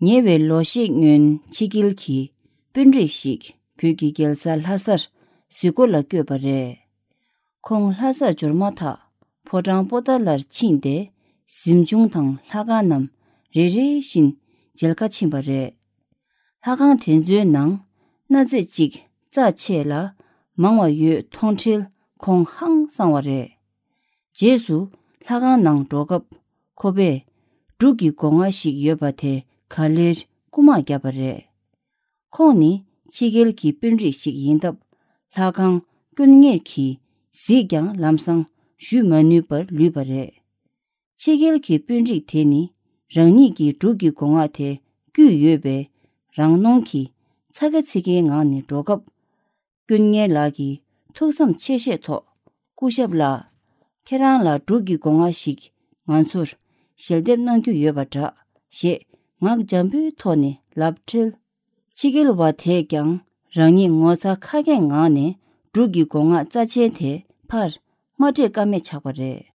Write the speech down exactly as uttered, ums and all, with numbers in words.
ཉེ་བའི་ལོ་ཤས་སྔོན་ཕྱི་རྒྱལ་གྱི་དཔོན་རིགས་ཤིག་བོད་ཀྱི་རྒྱལ་ས་ལྷ་སར་གཟིགས་སྐོར་ལ་བསྐྱོད་པ་རེད། ཁོང་ལྷ་སར་འབྱོར་མ་ཐག་ཕོ་བྲང་པོ་ཏཱ་ལར་ཕྱིན་ཏེ། གཟིམ་ཆུང་དང་ལྷ་ཁང་རྣམས་རེ་རེ་བཞིན་མཇལ་ཁ་ཕྱིན་པ་རེད། ལྷ་ཁང་དེ་ཚོའི་ནང་གནའ་རྫས་གཅིག་རྩ་ཆེ་ལ་མང་བ་ཡོད་མཐོང་འཕྲལ་ཁོང་ཧང་སངས་པ་རེད། རྗེས་སུ་ལྷ་ཁང་ནང་འགྲོ་སྐབས་ཁོ་པས་འབྲུག་གི་སྒོ་ང་ཞིག་ཡོད་པ་དེ་ག་ལེར་རྐུ་མ་བརྒྱབ་པ་རེད། ཁོང་ནི་ཕྱི་རྒྱལ་གྱི་དཔོན་རིགས་ཤིག་ཡིན་སྟབས། ལྷ་ཁང་དཀོན་གཉེར་གྱིས་གཟིགས་ཀྱང་ལམ་སང་ཞུ་མ་ནུས་པར་ལུས་པ་རེད། ཕྱི་རྒྱལ་གྱི་དཔོན་རིགས་དེ་ནི་རང་ཉིད་ཀྱི་འབྲུག་གི་སྒོ་ང་དེ་བརྒྱུད་ཡོད་པས། རང་གནོང་གིས་ཚ་གི་ཚིག་གི་ངང་ནས་འགྲོ་སྐབས། དཀོན་གཉེར་ལགས་ཀྱིས་ཐུགས་བསམ་ཆེ་བཞེས་ཐོག་སྐུ་ཞབས་ལགས། ཁྱེད་རང་ལ་འབྲུག་གི་སྒོ་ང་ཞིག་ང་ཚོར་ཞལ་འདེབས་གནང་རྒྱུ་ཡོད་པ་འདྲ་ཞེས་ངག་འཇམ་པོའི་ཐོག་ནས་ལབ་འཕྲལ། ཕྱི་རྒྱལ་བ་དེས་ཀྱང་རང་ཉིད་ངོ་ཚ་ཁ་སྐད་ངང་ནས་འབྲུག་གི་སྒོ་ང་རྩ་ཆེན་དེ་ཕར་མ་སྤྲད་ཀ་མེད་ཆགས་པ་རེད།